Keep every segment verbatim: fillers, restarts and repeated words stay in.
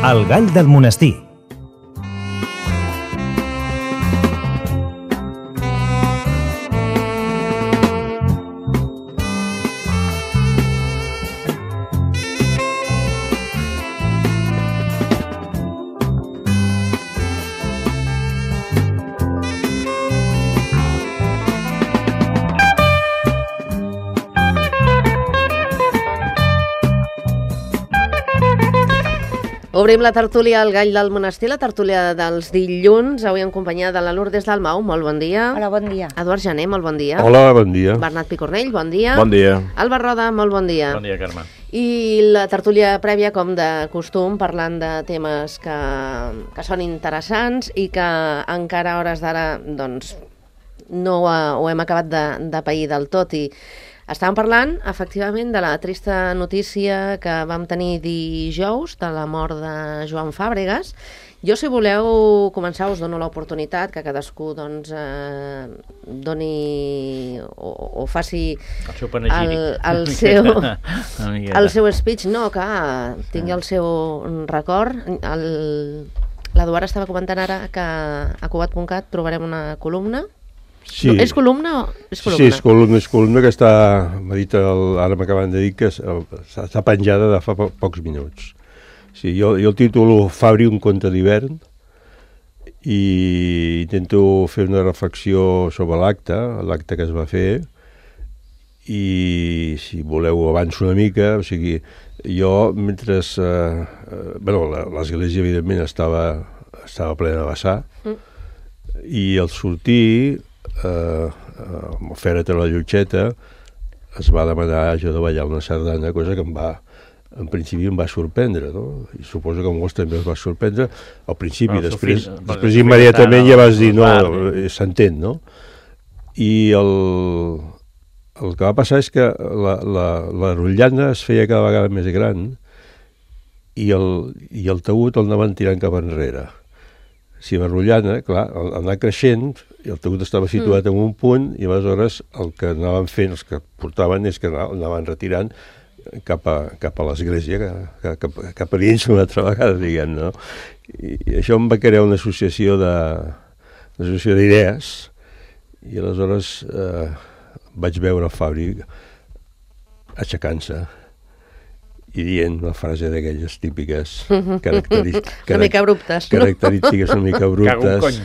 El gall del monestir. Obrim la tertúlia al Gall del Monestir, la tertúlia dels dilluns, avui en companyia de la Lourdes Dalmau, molt bon dia. Hola, bon dia. Eduard Jané, molt bon dia. Hola, bon dia. Bernat Picornell, bon dia. Bon dia. Alba Roda, molt bon dia. Bon dia, Carme. I la tertúlia prèvia, com de costum, parlant de temes que, que són interessants i que encara a hores d'ara doncs, no ho, ho hem acabat de, de pair del tot. I estàvem parlant, efectivament, de la trista notícia que vam tenir dijous de la mort de Joan Fàbregas. Jo, si voleu començar, us dono l'oportunitat que cadascú doncs, eh, doni o, o faci el seu panegíric. El, el, seu, el seu speech, no, que tingui el seu record. L'Eduard estava comentant ara que a Cugat punt cat trobarem una columna. Sí. No, és columna o és columna? Sí, és columna, és columna que està, m'ha dit el, ara m'acaben de dir que està penjada de fa po pocs minuts. Sí, jo, jo el titulo Fabri, un conte d'hivern, i intento fer una reflexió sobre l'acte, l'acte que es va fer, i si voleu avanço una mica, o sigui, jo mentre... Eh, eh, bueno, l'església evidentment estava, estava plena de vessar, mm. i al sortir... Uh, uh, amb el Fèret a la Llotxeta es va demanar jo de ballar una sardana, cosa que em va, en principi em va sorprendre, no? I suposo que a molts també es va sorprendre al principi, bueno, després, fill, després immediatament ja vas dir no, s'entén, no? I el, el que va passar és que la, la, la rotllana es feia cada vegada més gran i el, i el taüt el anaven tirant cap enrere. Si la rotllana, clar, anava creixent, i el taüt estava situat mm. en un punt, i aleshores el que anaven fent, els que portaven, és que anaven retirant cap a, cap a l'església, cap, cap, cap a dins una altra vegada, diguem, no? I, i això em va crear una associació de, una associació d'idees, i aleshores eh, vaig veure el Fabri aixecant-se i dient una frase d'aquelles típiques característiques, una mica abruptes, no? Característiques una mica abruptes.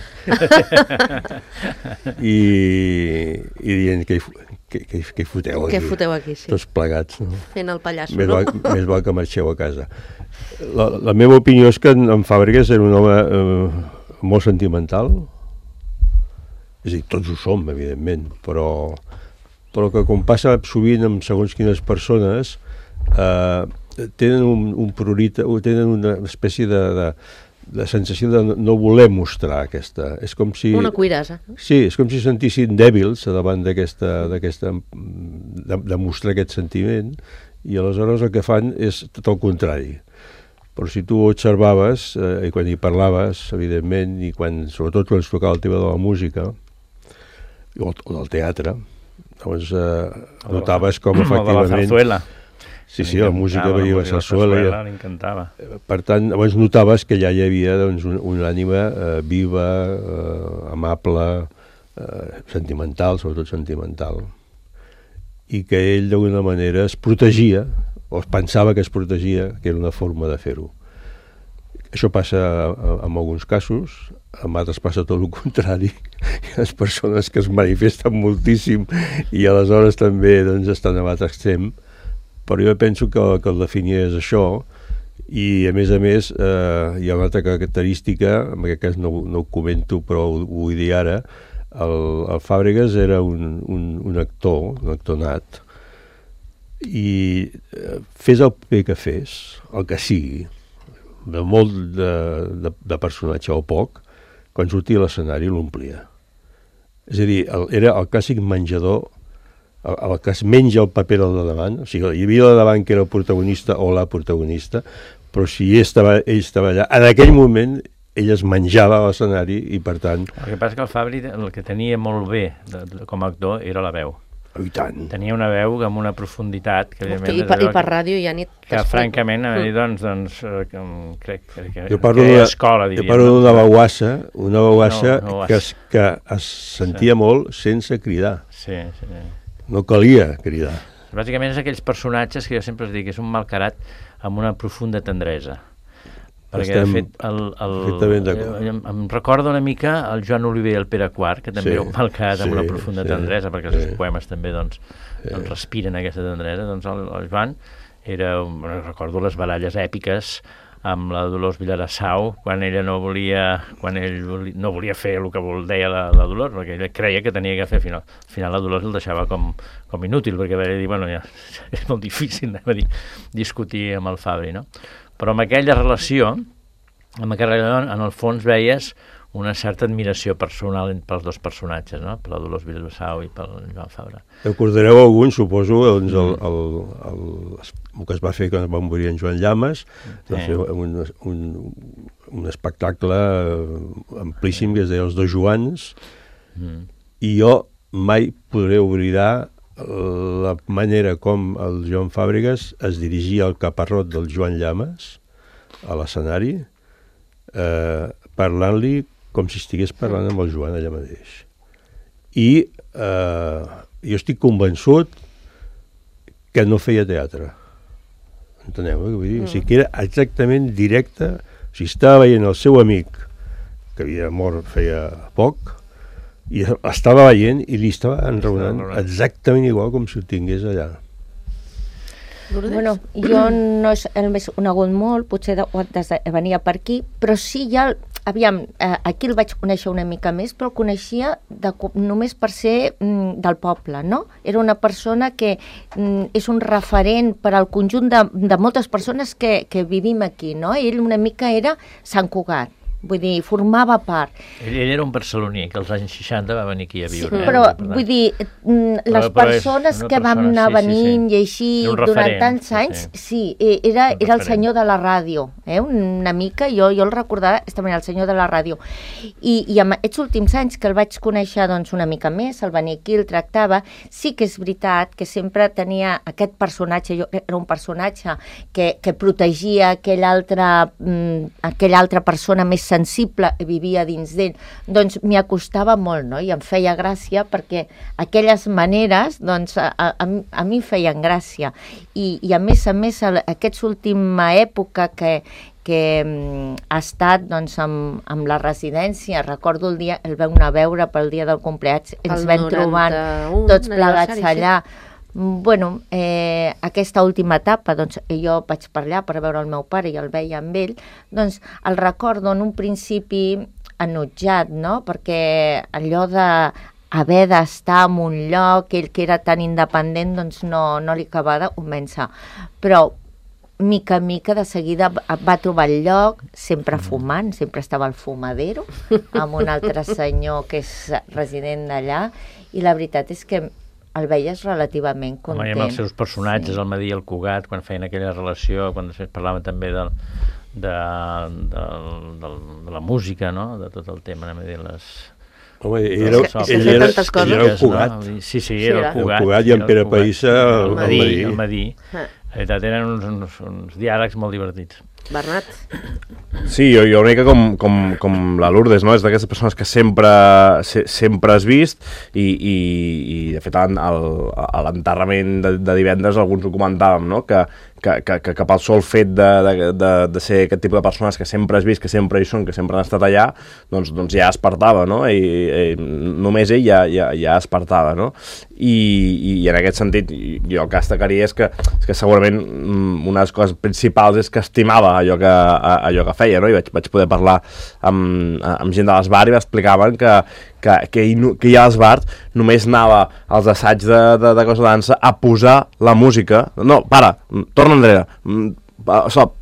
I, i dient que hi, que, que, que hi foteu aquí. Que foteu aquí, sí. Tots plegats, no? Fent el pallasso, més no? Val, més val que marxeu a casa. La, la meva opinió és que en, en Fàbregas era un home eh, molt sentimental. És a dir, tots ho som, evidentment, però, però que com passa sovint amb segons quines persones, eh, tenen un, un prurita, tenen una espècie de, de, de sensació de no voler mostrar aquesta... És com si... Una cuirassa. Sí, és com si sentissin dèbils davant d'aquesta... de, de mostrar aquest sentiment, i aleshores el que fan és tot el contrari. Però si tu observaves, eh, i quan hi parlaves, evidentment, i quan, sobretot quan es tocava el tema de la música, o, o del teatre, doncs eh, notaves com efectivament... O de la zarzuela. Sí, sí, la música veia la sarsuela. L'encantava. Per tant, llavors notaves que allà hi havia doncs, un, una ànima eh, viva, eh, amable, eh, sentimental, sobretot sentimental, i que ell d'alguna manera es protegia, o es pensava que es protegia, que era una forma de fer-ho. Això passa en alguns casos, en altres passa tot el contrari. Hi ha les persones que es manifesten moltíssim i aleshores també doncs, estan a l'altre extrem, però jo penso que, que el definia és això, i a més a més eh, hi ha una altra característica, en aquest cas no, no ho comento però ho, ho vull dir ara, el, el Fàbregas era un, un, un actor, un actor nat, i eh, fes el paper que fes, el que sigui, de molt de, de, de personatge o poc, quan sortia a l'escenari l'omplia. És a dir, el, era el clàssic menjador, el, el que es menja el paper del de davant, o sigui, hi havia el de davant que era el protagonista o la protagonista, però si ell estava, ell estava allà, en aquell moment ell es menjava a l'escenari i per tant... El que passa que el Fabri el que tenia molt bé de, de, com a actor era la veu. Oh, i tant. Tenia una veu amb una profunditat que, Hosti, i, per, i per ràdio ja ni que francament a mi doncs, doncs que, crec que, jo parlo que de, escola, diríem. Jo parlo d'una baguassa, una baguassa no, no que, es, que es sentia sí. molt sense cridar. Sí, sí. No calia cridar. Bàsicament és aquells personatges que jo sempre us dic que és un malcarat amb una profunda tendresa. Perquè, Estem de fet, el, el, em, em recorda una mica el Joan Oliver i el Pere quart, que també sí, un malcarat sí, amb una profunda sí, tendresa, perquè sí. els seus poemes també doncs, sí. doncs, respiren aquesta tendresa. Doncs el, el Joan era, recordo les baralles èpiques amb la Dolors Vilarassau, quan ella no volia, quan ell volia, no volia fer el que vol, deia la, la Dolors, perquè ella creia que tenia que fer, al final, al final la Dolors el deixava com, com inútil, perquè va dir, bueno, ja, és molt difícil a dir, discutir amb el Fabri, no? Però amb aquella relació, amb aquella relació, en el fons veies una certa admiració personal pels dos personatges, no? Per la Dolors Vilarassau i pel Joan Fabra. Recordareu algun, suposo, doncs, el, el, el, el que es va fer quan va morir en Joan Llamas, sí. Va fer un, un, un espectacle amplíssim que es deia Els dos Joans, mm. i jo mai podré oblidar la manera com el Joan Fàbregas es dirigia al caparrot del Joan Llamas a l'escenari, eh, parlant-li com si estigués parlant amb el Joan allà mateix. I eh, jo estic convençut que no feia teatre. Enteneu? Eh? Vull dir? Mm. O sigui, que era exactament directe. O sigui, estava veient el seu amic, que havia mort feia poc, i estava veient i li estava enraonant exactament igual com si ho tingués allà. Bueno, jo no és el més conegut molt, potser de, des de, venia per aquí, però sí ja, aviam, eh, aquí el vaig conèixer una mica més, però el coneixia de, només per ser mm, del poble, no? Era una persona que mm, és un referent per al conjunt de, de moltes persones que, que vivim aquí, no? Ell una mica era Sant Cugat. Vull dir, formava part. Ell, ell era un barceloní, que als anys seixanta va venir aquí a viure. Sí, però, eh? vull dir, les però, però persones que vam anar sí, venint sí, sí. i així durant tants anys, sí, sí era, era el senyor de la ràdio, eh? Una mica, jo, jo el recordava, estava el senyor de la ràdio. I, i en aquests últims anys que el vaig conèixer doncs, una mica més, el venia aquí, el tractava, sí que és veritat que sempre tenia aquest personatge, jo era un personatge que, que protegia aquella altra, mm, aquella altra persona més sensible vivia dins d'ell, doncs m'hi acostava molt, no? I em feia gràcia perquè aquelles maneres, doncs, a, a, a mi feien gràcia. I, i a més a més, a aquesta última època que, que um, ha estat, doncs, amb, amb la residència, recordo el dia, el vam anar a veure pel dia del compleats, ens vam trobant tots plegats allà. Bueno, eh, aquesta última etapa, doncs, jo vaig per allà per veure el meu pare i el veia amb ell, doncs el recordo en un principi enutjat, no? Perquè allò de haver d'estar en un lloc, ell que era tan independent, doncs no, no li acabava de convèncer. Però mica en mica de seguida va trobar el lloc, sempre fumant, sempre estava al fumadero, amb un altre senyor que és resident d'allà, i la veritat és que el veies relativament content. Home, i amb els seus personatges, sí. El Madí i el Cugat, quan feien aquella relació, quan després parlaven també del, de, de, de, de la música, no? De tot el tema, anem a dir, les... Home, ell era, ell era, ell era el Cugat. No? Sí, sí, era el Cugat. El Cugat i en Pere Païssa el Madí. El Madí. La veritat, eren uns, uns, uns diàlegs molt divertits. Bernat? Sí, jo, jo una mica com, com, com la Lourdes, no? És d'aquestes persones que sempre, se, sempre has vist i, i, i de fet, a l'enterrament de, de divendres alguns ho comentàvem, no? Que, que, que, que, que pel sol fet de, de, de, de ser aquest tipus de persones que sempre has vist, que sempre hi són, que sempre han estat allà, doncs, doncs ja espertava, no? I, i només ell ja, ja, ja espertava, no? I, i, i en aquest sentit jo el que destacaria és que, és que segurament una de les coses principals és que estimava allò que, allò que feia, no? I vaig, vaig poder parlar amb, amb gent de l'Esbart i m'explicaven que, que, que, ell, que ell a l'Esbart només anava als assaigs de, de, de cosa de dansa a posar la música. No, para, torna enrere,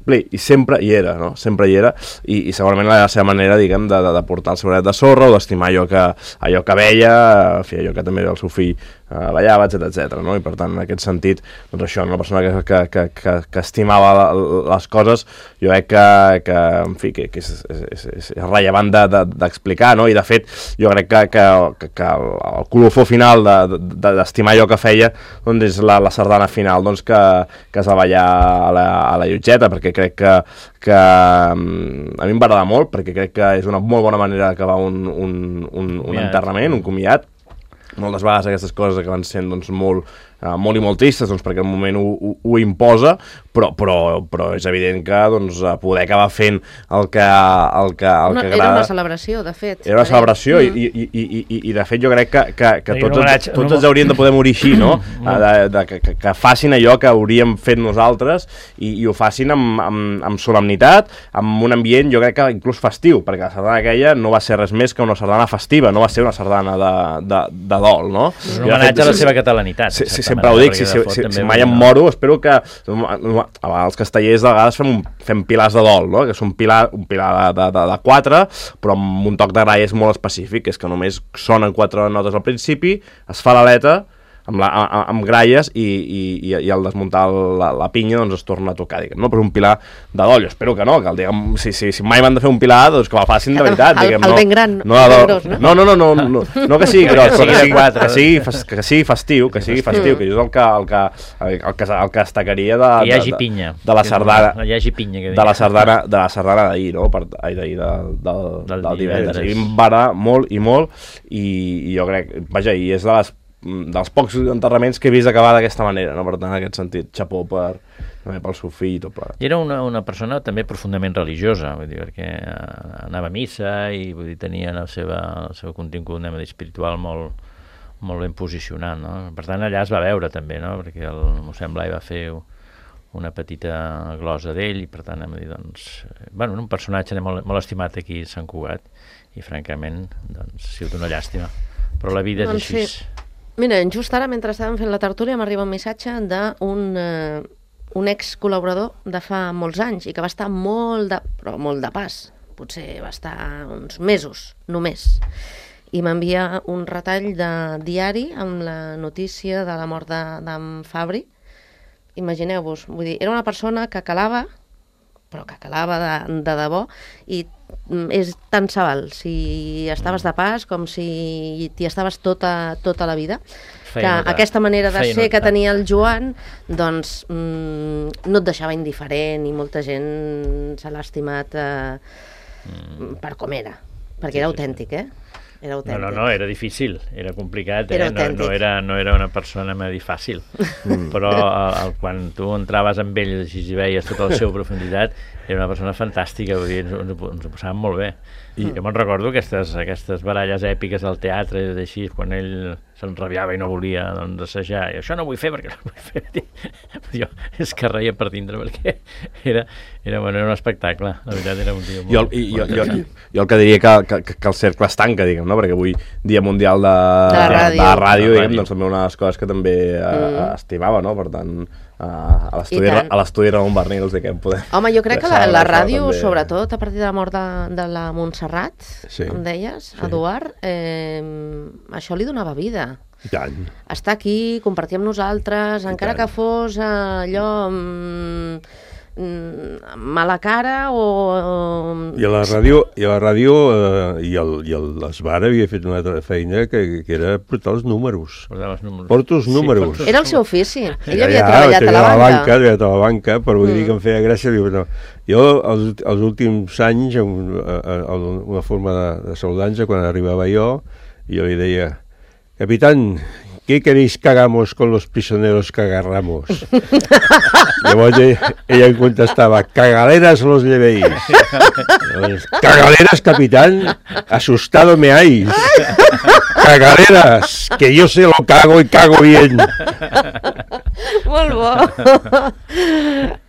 s'omplir, i sempre hi era, no? Sempre hi era, i, i segurament la seva manera, diguem, de, de, de portar el seu granet de sorra o d'estimar allò que, allò que veia, en fi, allò que també el seu fill eh, ballava, etcètera, etcètera, no? I per tant, en aquest sentit, doncs això, una persona que, que, que, que, que estimava la, les coses, jo crec que, que en fi, que, que és, és, és, és rellevant d'explicar, de, de, no? I de fet, jo crec que, que, que, que el, el colofó final d'estimar de, de, allò que feia, doncs és la, la sardana final, doncs que, que es va ballar a la, a la Llotgeta, perquè crec que, que a mi em va agradar molt, perquè crec que és una molt bona manera d'acabar un, un, un, un enterrament, un comiat. Moltes vegades aquestes coses acaben sent doncs, molt, uh, molt i molt tristes, doncs, perquè el moment ho, ho, ho imposa, però, però, però és evident que doncs, poder acabar fent el que, el que, el una, que agrada... Era una celebració, de fet. Era una celebració, mm. i, i, i, i, i de fet jo crec que, que, que tots, ens, tots ens hauríem de poder morir així, no? de, de, que, que facin allò que hauríem fet nosaltres i, i ho facin amb, amb, amb solemnitat, amb un ambient, jo crec que inclús festiu, perquè la sardana aquella no va ser res més que una sardana festiva, no va ser una sardana de, de, de dol, no? És un homenatge a la seva catalanitat. Sí, sí, sempre ho dic, si, si, si, si mai em moro, espero que els castellers de vegades fem, un, fem pilars de dol, no? Que és un pilar, un pilar de, de, de, de quatre, però amb un toc de gralla és molt específic, és que només sonen quatre notes al principi, es fa l'aleta, amb, la, amb gralles i, i, i al desmuntar la, la pinya doncs es torna a tocar, diguem, no? Però un pilar de dol, jo espero que no, que diguem, si, si, si mai van de fer un pilar, doncs que el facin de veritat, el, diguem, el no, ben gran, no, el no, gros, no? No, no, no, no, no, no que sigui gros, que sigui, que sigui, que sigui festiu, que sigui festiu, que jo és el que, el que, el que, el que destacaria de, que hi hagi de, pinya, de la sardana, hi hagi pinya, que de la sardana, de la sardana d'ahir, no? Per, ai, d'ahir, de, de, del, del divendres. I em va agradar molt i molt, i, i jo crec, vaja, i és de les dels pocs enterraments que he vist acabar d'aquesta manera, no? Per tant, en aquest sentit, xapó per, pel seu fill i tot plegat. I era una, una persona també profundament religiosa, vull dir, perquè anava a missa i vull dir, tenia la seva, el seu contingut anem a dir, espiritual molt, molt ben posicionat, no? Per tant, allà es va veure també, no? Perquè el mossèn Blai va fer una petita glosa d'ell i per tant, anem a dir, doncs, bueno, un personatge molt, molt estimat aquí a Sant Cugat i francament, doncs, ha sigut una llàstima. Però la vida és doncs així. Sí. Mira, just ara, mentre estàvem fent la tertúlia, m'arriba un missatge d'un eh, un ex-col·laborador de fa molts anys i que va estar molt de, però molt de pas, potser va estar uns mesos, només. I m'envia un retall de diari amb la notícia de la mort d'en Fabri. Imagineu-vos, vull dir, era una persona que calava, però que calava de, de debò, i és tant se val si estaves de pas com si t'hi estaves tota, tota la vida. Feia que notar. Aquesta manera de Feia ser notar. Que tenia el Joan doncs mm, no et deixava indiferent i molta gent se l'ha estimat eh, mm. per com era, perquè sí, era autèntic, eh? Era autèntic. No, no, no, era difícil, era complicat, era eh? no, no, era, no era una persona m'ha dit fàcil, mm. però el, el, quan tu entraves amb ell i veies tota la seva profunditat, era una persona fantàstica, vull dir, ens, ens, ens ho passàvem molt bé. I jo me'n recordo aquestes, aquestes baralles èpiques al teatre, així, quan ell s'enrabiava i no volia doncs, assajar, i això no vull fer perquè no vull fer. Jo és que reia per dintre, perquè era, era, bueno, era un espectacle, la veritat era un tio molt... Jo, i, jo, jo, jo el que diria que, que, que el cercle es tanca, diguem, no? Perquè avui, Dia Mundial de, de la ràdio, de la ràdio diguem, doncs també una de les coses que també mm. estimava, no? Per tant, a l'estudi Ramon Barnils, diguem, podem... Home, jo crec que la, la ràdio, també... sobretot a partir de la mort de, de la Montserrat, sí. em deies, sí. Eduard, eh, això li donava vida. I tant. Estar aquí, compartir amb nosaltres, I encara tant. Que fos eh, allò... Mm, mala cara o... I a la ràdio, i a la ràdio eh, i el, i el Esbar havia fet una altra feina que, que era portar els números. Els números. Porto els números. Sí, era el seu ofici. Ell ja, havia ja, treballat a la banca. banca. Treballat a la banca, però vull mm. dir que em feia gràcia. Diu, no. Jo, els, els últims anys, una forma de, de saludar-nos, quan arribava jo, jo li deia, capitán, ¿qué queréis que hagamos con los prisioneros que agarramos? Llavors ella em contestava, cagaleras los llevéis. Cagaleras, capitán, asustado me hay. Cagaleras, que yo se lo cago y cago bien. Molt bo.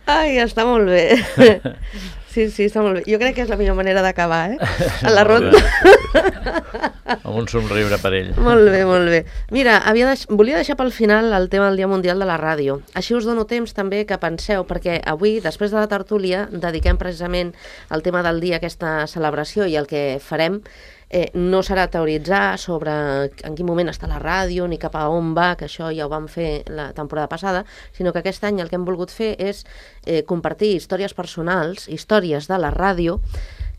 Ai, està molt bé. Sí, sí, està molt bé. Jo crec que és la millor manera d'acabar, eh? A la ronda. Amb un somriure per ell. Molt bé, molt bé. Mira, havia deix... volia deixar pel final el tema del Dia Mundial de la Ràdio. Així us dono temps també que penseu, perquè avui, després de la tertúlia, dediquem precisament al tema del dia aquesta celebració, i el que farem eh, no serà teoritzar sobre en quin moment està la ràdio ni cap a on va, que això ja ho vam fer la temporada passada, sinó que aquest any el que hem volgut fer és eh, compartir històries personals, històries de la ràdio,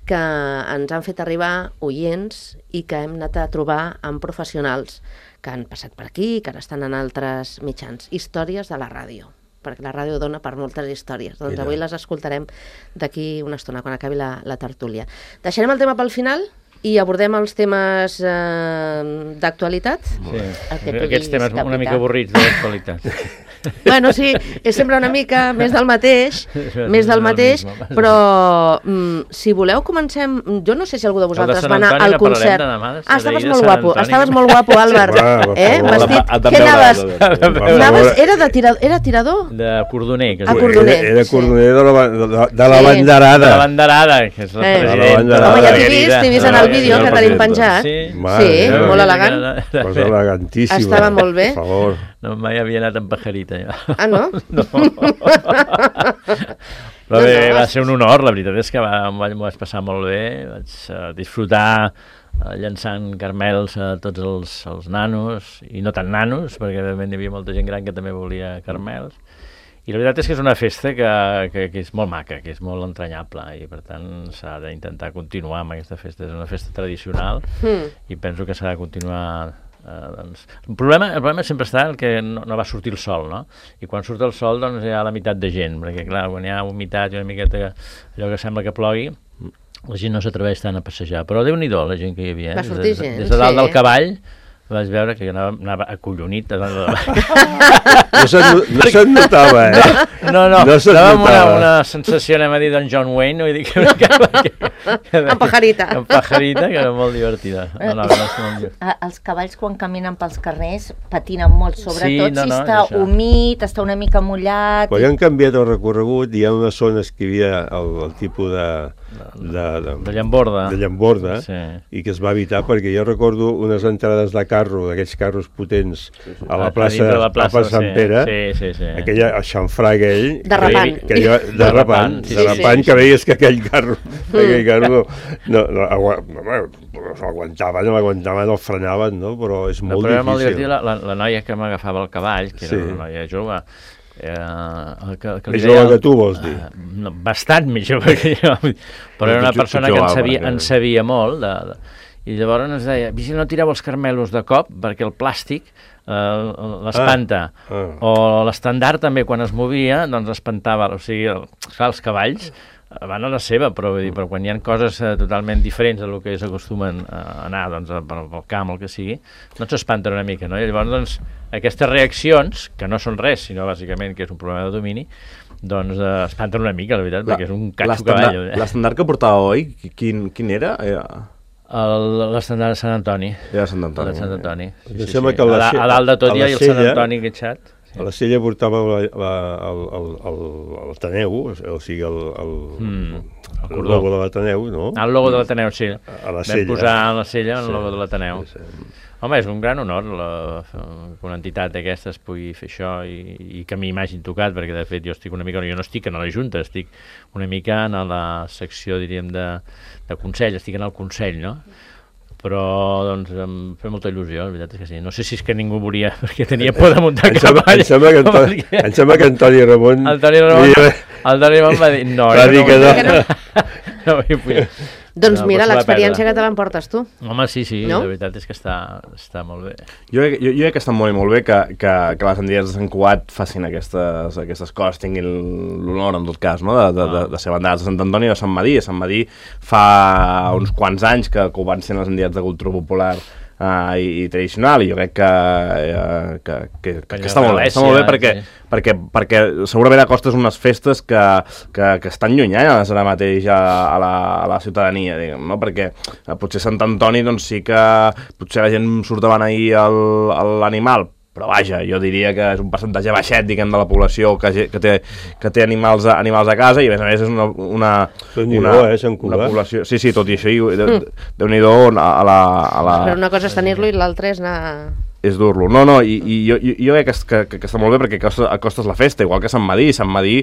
que ens han fet arribar oients i que hem anat a trobar amb professionals que han passat per aquí, que ara estan en altres mitjans. Històries de la ràdio, perquè la ràdio dona per moltes històries. Doncs Mira. Avui les escoltarem d'aquí una estona, quan acabi la, la tertúlia. Deixarem el tema pel final i abordem els temes eh, d'actualitat. Sí. Aquests temes capità. Una mica avorrits de l'actualitat. Bueno, sí, és sempre una mica més del mateix, més del mateix, però mm, si voleu comencem... Jo no sé si algú de vosaltres va anar al concert. Ah, estaves molt guapo, estaves molt guapo, Albert. Eh? Vestit... Què anaves? Anaves... Era de tirador? Era tirador? De cordoner. A cordoner. Era cordoner de la, de la banderada. De la banderada, que és la presidenta. Home, ja t'he vist, t'he vist en el vídeo que tenim penjat. Sí, molt elegant. Cosa elegantíssima. Estava molt bé. Per favor. No, mai havia anat amb pajarita, ja. Ah, no? No. Però bé, va ser un honor, la veritat és que va, m'ho vaig passar molt bé, vaig uh, disfrutar uh, llançant carmels a tots els, els nanos, i no tan nanos, perquè hi havia molta gent gran que també volia carmels, i la veritat és que és una festa que, que, que és molt maca, que és molt entranyable, i per tant s'ha d'intentar continuar amb aquesta festa. És una festa tradicional, mm. i penso que s'ha de continuar... Uh, doncs, el, problema, el problema sempre està el que no, no va sortir el sol, no? I quan surt el sol doncs hi ha la meitat de gent, perquè clar, quan hi ha humitat i una miqueta allò que sembla que plogui, la gent no s'atreveix tant a passejar, però Déu-n'hi-do la gent que hi havia, va sortir des, gent, des de dalt sí. del cavall vaig veure que anava, anava acollonit. No se'n no se notava, eh? No, no, no estava amb una, una sensació, anem a dir, d'en John Wayne, vull dir que... que, que, que amb pajarita. Amb pajarita, que era molt divertida. No, no, no, no, no. Els cavalls, quan caminen pels carrers, patinen molt, sobretot sí, no, no, si està això. humit, està una mica mullat... Però ja han canviat el recorregut, hi ha unes zones que hi havia el, el tipus de... De, de, de llamborda, de llamborda sí. I que es va evitar perquè jo recordo unes entrades de carro, d'aquells carros potents a la plaça, a la plaça, plaça Sant sí. Pere, sí, sí, sí. aquella, el xamfrà aquell derrapant, que, que jo, derrapant, sí, derrapant sí, sí. que veies que aquell carro, aquell carro no, no, no, no s'aguantava, no aguantava, no frenaven, no? Però és molt no, però difícil. Molt divertit, la, la, la noia que m'agafava el cavall, que sí. era una noia jove, Eh, que, que més jove que tu, vols dir? Uh, no, bastant més jove que jo, però era una persona que en sabia, en sabia molt, de, de, i llavors ens deia, si no tireu els carmelos de cop, perquè el plàstic uh, l'espanta, ah, ah. o l'estandard també, quan es movia, doncs espantava, o sigui, el, clar, els cavalls van a la seva, però, vull dir, però quan hi ha coses uh, totalment diferents del que s'acostumen a anar doncs, pel, pel camp, el que sigui, doncs s'espanten una mica, no? I llavors, doncs, aquestes reaccions, que no són res, sinó bàsicament que és un problema de domini, doncs uh, espanten una mica, la veritat, la, perquè és un catxo cavall. Eh? L'estandard que portava oi, quin, quin era? L'estandard de Sant Antoni. Era Sant Antoni. Sant Antoni. Sí, sí, sí. Que a, a dalt de tot hi ha el Sant Antoni enganxat. Sí. A la Sella portava la, la, el, el, el, el Taneu, o sigui, el, el, mm, el, el logo de l'Ateneu, no? El logo de l'Ateneu, sí. A la Vam posar a la Sella el sí, logo de l'Ateneu. Sí, sí. Home, és un gran honor la, que una entitat d'aquestes pugui fer això i, i que a mi m'hagin tocat, perquè de fet jo estic una mica, jo no estic en la Junta, estic una mica en la secció, diríem, de, de Consell, estic en el Consell, no? Però doncs em fa molta il·lusió, la veritat és que sí. No sé si és que ningú volia, perquè tenia por de muntar cavall. Em sembla que, Antoni, em sembla que Antoni Ramon... El Toni Ramon, el Toni Ramon va dir... No, va dir que no. no. no, no doncs no, mira, l'experiència que te l'emportes tu. Home, sí, sí, no? La veritat és que està, està molt bé. Jo, jo, jo crec que està molt i molt bé que, que, que les entitats de Sant Cugat facin aquestes, aquestes coses, tinguin l'honor, en tot cas, no? de, de, de, de ser bandades de Sant Antoni o de Sant Madí. A Sant Madí fa uns quants anys que, que ho van ser les entitats de cultura popular Uh, i, i tradicional, i jo crec que, uh, que, que, que, que està molt bé, està molt bé perquè, sí. perquè, perquè segurament acostes unes festes que, que, que estan llunyades ara mateix a, a, la, a la ciutadania, diguem, no? Perquè uh, potser Sant Antoni doncs sí que potser la gent surt a beneir l'animal però vaja, jo diria que és un percentatge baixet, diguem, de la població que, que té, que té animals, a, animals a casa, i a més a més és una, una, una, eh, una població... Sí, sí, tot i això, mm. Déu-n'hi-do a la, a la... Però una cosa és tenir-lo i l'altra és anar... és dur-lo. No, no, i, i jo, jo crec que, que, que està molt bé perquè acostes la festa, igual que Sant Madí. Sant Madí,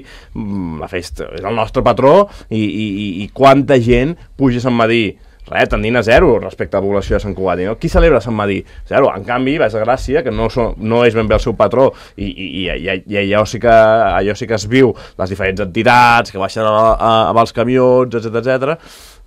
la festa, és el nostre patró, i, i, i quanta gent puja a Sant Madí? Res, tendint a zero respecte a la població de Sant Cugat. No? Qui celebra Sant Madí? Zero. En canvi, vas a Gràcia, que no, so, no és ben bé el seu patró, i, i, i, i, i allò, sí que, allò sí que es viu, les diferents entitats que baixen a, a, amb els camions, etcètera, etcètera.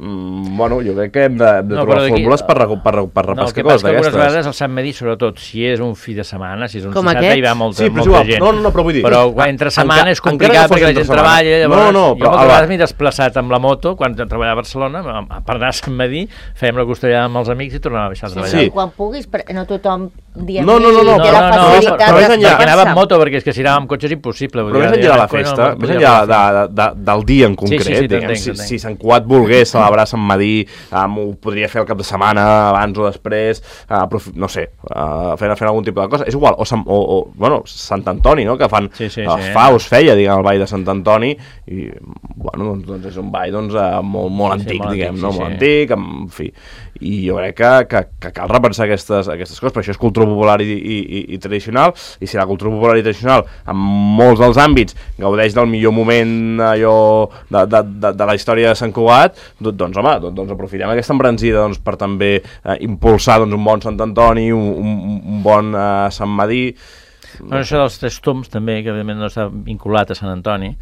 Mm, bueno, jo crec que hem de, hem de no, trobar fórmules per, per, per, per repescar coses d'aquestes. No, el que passa que algunes vegades el Sant Madí, sobretot, si és un fi de setmana, si és un dissabte, hi va molta, sí, molta gent. No, no, no, però vull dir... Però entre setmana és complicat perquè la gent treballa, llavors... No, no, però... Jo moltes vegades m'he desplaçat amb la moto, quan treballava a Barcelona, per anar a Sant Madí, fèiem la costellada amb els amics i tornàvem a baixar a treballar. Sí, sí. Quan puguis, no tothom diem no, no, no, no, té la facilitat no, no, perquè anava amb moto, perquè és que si anava amb cotxe és impossible. Però més enllà de la festa, més enllà del dia en concret, si Sant Cugat volgués celebrar Sant Madí, Um, ho podria fer el cap de setmana, abans o després, uh, no sé, uh, fent, fent algun tipus de cosa. És igual, o, o, o bueno, Sant Antoni, no?, que fan, sí, sí, uh, sí. fa o es feia, diguem, el ball de Sant Antoni, i, bueno, doncs, doncs és un ball, doncs, uh, molt, molt sí, antic, sí, molt diguem, antic, no?, sí, molt sí. antic, en fi. I jo crec que, que, que cal repensar aquestes, aquestes coses, però això és cultura popular i, i, i, i tradicional, i si la cultura popular i tradicional, en molts dels àmbits, gaudeix del millor moment allò de, de, de, de la història de Sant Cugat, doncs, home, doncs, doncs aprofitem aquesta embranzida doncs, per també eh, impulsar doncs, un bon Sant Antoni, un, un, un bon eh, Sant Madí... Bueno, això dels tres tombs també, que evidentment no està vinculat a Sant Antoni,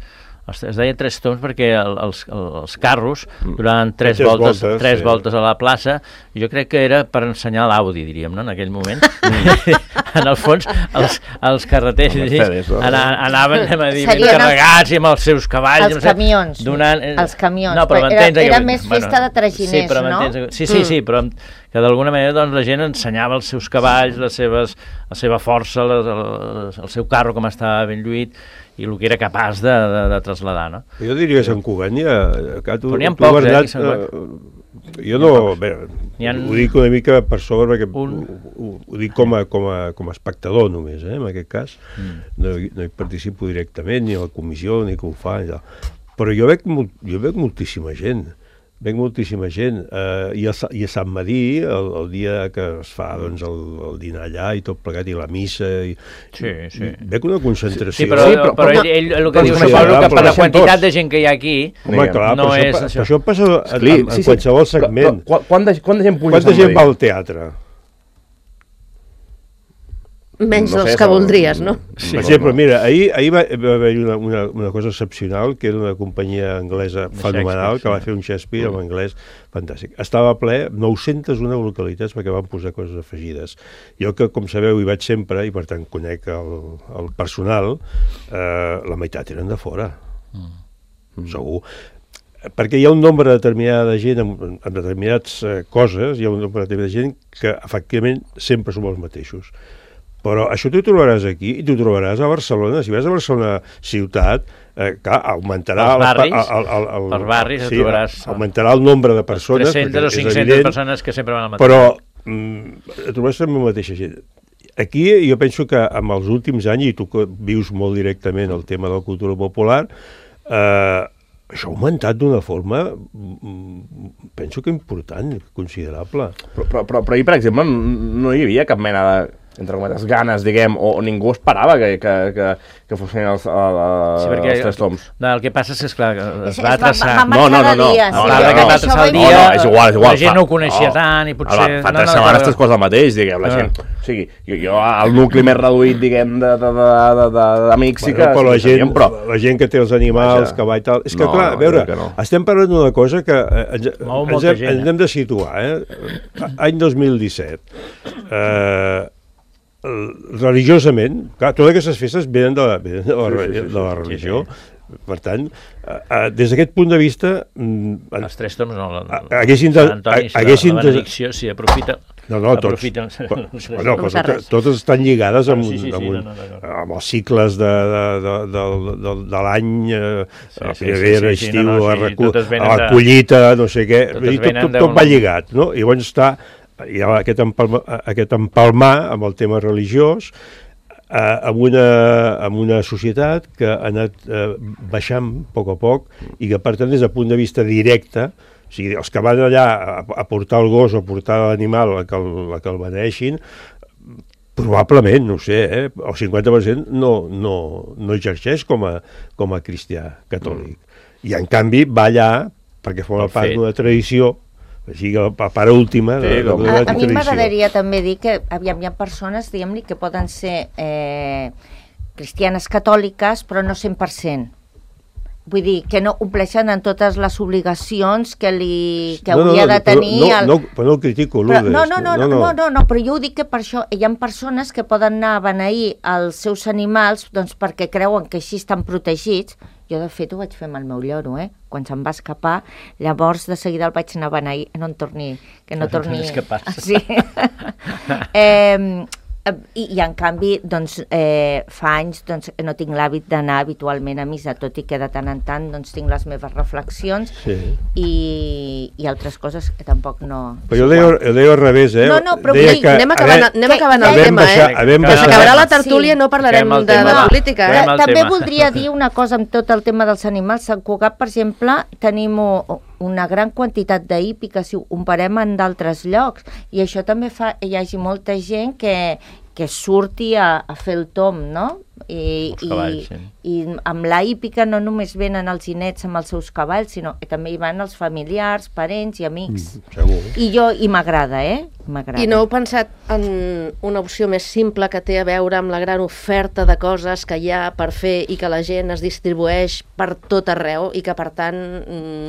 es deia tres tombs perquè el, els, els carros duraven tres, tres voltes, voltes, tres sí. voltes a la plaça, i jo crec que era per ensenyar l'Audi, diríem, no?, en aquell moment. En el fons, els, els carreters Mercedes, no? anaven, anem a dir, ben carregats i amb els seus cavalls. Els no sé, camions, donant... els camions. No, però era, era que, més festa bueno, de traginers, sí, no? Sí, sí, sí, però que d'alguna manera doncs, la gent ensenyava els seus cavalls, les seves, la seva força, les, el, el seu carro com estava ben lluït, i el que era capaç de, de, de traslladar, no? Jo diria que Sant Cugat n'hi ha... Tu, però n'hi ha pocs, Bernat, eh, Sant Cugat. Jo no... Bé, ha... Ho dic una mica per sobre, perquè un... ho, ho dic com a, com, a, com a espectador només, eh, en aquest cas. Mm. No, no hi participo directament, ni a la comissió, ni que ho fa, ni però jo veig, jo veig moltíssima gent. Veig moltíssima gent, eh, i, a, i a Sant Madí, el, el dia que es fa doncs, el, el dinar allà i tot plegat, i la missa, i, sí, sí. i veig una concentració. Sí, però, sí, però, però ell, ell el que diu és que per la quantitat de gent que hi ha aquí, home, clar, no és... Això, això. això passa en, en, en sí, qualsevol sí. segment. Però, però, quant, de, quant de gent puja a Sant Madí? Quanta gent va al teatre? Menys no dels sé, que voldries, no? Sí, per exemple, mira, ahir, ahir va, va haver una, una, una cosa excepcional, que era una companyia anglesa fenomenal, que va fer un Shakespeare en anglès fantàstic. Estava ple, nou-centes una localitats, perquè van posar coses afegides. Jo que, com sabeu, hi vaig sempre, i per tant conec el, el personal, eh, la meitat eren de fora. Mm. Segur. Perquè hi ha un nombre determinat de gent amb, amb determinades eh, coses, hi ha un nombre determinat de gent que, efectivament, sempre som els mateixos. Però això t'ho trobaràs aquí i t'ho trobaràs a Barcelona. Si vas a Barcelona ciutat, eh, clar, augmentarà... Els barris, el, el, el, el, els barris sí, trobaràs... Augmentarà el nombre de persones... tres-centes o cinc-centes persones que sempre van al mateix. Però mm, trobaràs també la mateixa gent. Aquí jo penso que amb els últims anys, i tu que vius molt directament el tema de la cultura popular, eh, això ha augmentat d'una forma, penso que important, considerable. Però, però, però, però ahir, per exemple, no hi havia cap mena de... entre cometes, ganes, diguem, o, o ningú esperava que, que, que, que fossin els, els, sí, perquè, els tres toms. No, el que passa és que, esclar, es va traçar... No, no, no, no. A part que va traçar el dia, no, no, és igual, és igual. La gent no ho coneixia tant i potser... Fa tres setmanes tres coses el mateix, diguem, la gent... O sigui, jo al nucli més reduït, diguem, d'amics sí que... Però la gent, la gent que té els animals, que va i tal... És que, clar, a veure, estem parlant d'una cosa que ens hem de situar, eh? Any dos mil disset. Eh... religiosament, clar, totes aquestes festes venen de la, venen de la, sí, sí, sí, de la religió, sí, sí. Per tant, eh, des d'aquest punt de vista... Mm, els tres toms no, la, haguessin de... Antoni, si haguessin la benedicció, si aprofita... No, no, tots, però, no, però totes estan lligades amb, sí, sí, sí, amb, un, no, no, no. amb els cicles de, de, de, de, de, de l'any, eh, sí, sí, primavera, sí, sí, estiu, sí, no, no, sí, a, a la collita, no sé què, tot, tot, tot va lligat, no? I llavors està... hi ha aquest, empalma, aquest empalmar amb el tema religiós, amb una, amb una societat que ha anat eh, baixant a poc a poc i que, per tant, des del punt de vista directe, o sigui, els que van allà a, a portar el gos o a portar l'animal a que el, a que el beneixin, probablement, no sé, eh, el cinquanta per cent no, no, no exerceix com a, com a cristià catòlic. Mm. I, en canvi, va allà perquè forma part d'una tradició, o sigui, a part última de, de, de a, a mi m'agradaria també dir que aviam, hi ha persones, diguem-li, que poden ser eh, cristianes catòliques, però no cent per cent. Vull dir, que no compleixen en totes les obligacions que, li, que no, hauria no, no, de tenir... No, el... no, però no el critico, però, no, no, no, no, no, no, no, però jo ho dic que per això hi ha persones que poden anar a beneir els seus animals doncs, perquè creuen que així estan protegits. Jo, de fet, ho vaig fer amb el meu lloro, eh? Quan se'm va escapar, llavors de seguida el vaig anar a beneir, no en torni... Que no torni... Escapar-se. Sí. eh... I, i en canvi doncs, eh, fa anys doncs, no tinc l'hàbit d'anar habitualment a missa, tot i que de tant en tant doncs, tinc les meves reflexions sí. i, i altres coses que tampoc no... Però jo ho deia al revés, eh? No, no, però vull dir, anem acabant, anem acabant el tema, eh? Que s'acabarà la tertúlia, no parlarem de, de política, eh? També voldria dir una cosa amb tot el tema dels animals. Sant Cugat, per exemple, tenim una gran quantitat d'hípica, si ho comparem en d'altres llocs, i això també fa que hi hagi molta gent que, que surti a, a fer el tom, no? I, cavalls, i, sí. I amb la hípica no només venen els ginets amb els seus cavalls, sinó que també hi van els familiars, parents i amics. Mm, segur. I jo, i m'agrada, eh? I no heu pensat en una opció més simple que té a veure amb la gran oferta de coses que hi ha per fer i que la gent es distribueix per tot arreu i que, per tant,